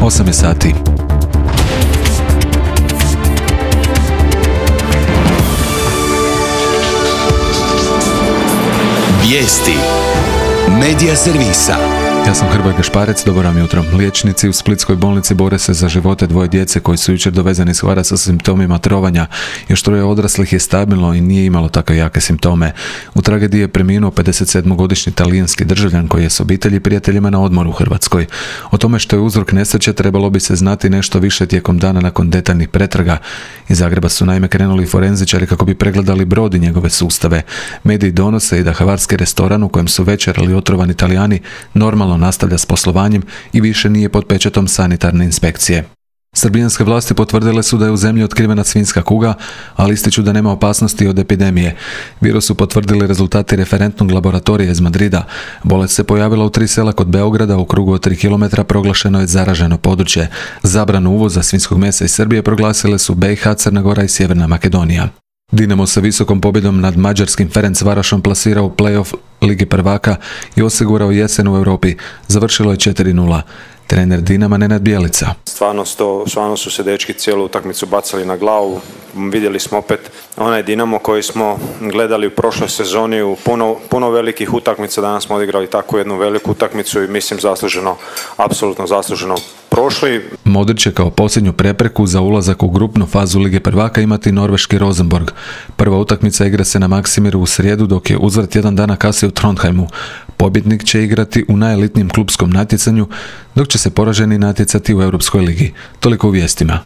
8 je sati. Vijesti Medija servisa. Ja sam Hrvoje Gašparec, dobro vam jutro. Liječnici u Splitskoj bolnici bore se za živote dvoje djece koji su jučer dovezani s Hvara sa simptomima trovanja. Još troje odraslih je stabilno i nije imalo tako jake simptome. U tragediji je preminuo 57-godišnji talijanski državljan koji je s obitelji i prijateljima na odmoru u Hrvatskoj. O tome što je uzrok nesreće trebalo bi se znati nešto više tijekom dana nakon detaljnih pretraga. Iz Zagreba su naime krenuli forenzičari kako bi pregledali brod i njegove sustave. Mediji donose i da hvarski restoran u kojem su večerali otrovani Talijani normalno nastavlja s poslovanjem i više nije pod pečatom sanitarne inspekcije. Srbijanske vlasti potvrdile su da je u zemlji otkrivena svinjska kuga, ali ističu da nema opasnosti od epidemije. Virus su potvrdili rezultati referentnog laboratorija iz Madrida. Bolest se pojavila u 3 sela kod Beograda, u krugu od 3 km proglašeno je zaraženo područje. Zabranu uvoza svinjskog mesa iz Srbije proglasile su BiH, Crna Gora i Sjeverna Makedonija. Dinamo se visokom pobjedom nad mađarskim Ferencvarošom plasirao u play-off Lige prvaka i osigurao jesen u Europi. Završilo je 4:0. Trener Dinama Nenad Bjelica. Stvarno su se dečki cijelu utakmicu bacali na glavu. Vidjeli smo opet onaj Dinamo koji smo gledali u prošloj sezoni u puno velikih utakmica. Danas smo odigrali takvu jednu veliku utakmicu i mislim apsolutno zasluženo prošli. Modrić će kao posljednju prepreku za ulazak u grupnu fazu Lige prvaka imati norveški Rosenborg. Prva utakmica igra se na Maksimiru u srijedu, dok je uzvrat jedan dana kasnije u Trondheimu. Pobjednik će igrati u najelitnijem klupskom natjecanju, dok će se poraženi natjecati u Europskoj ligi. Toliko u vijestima.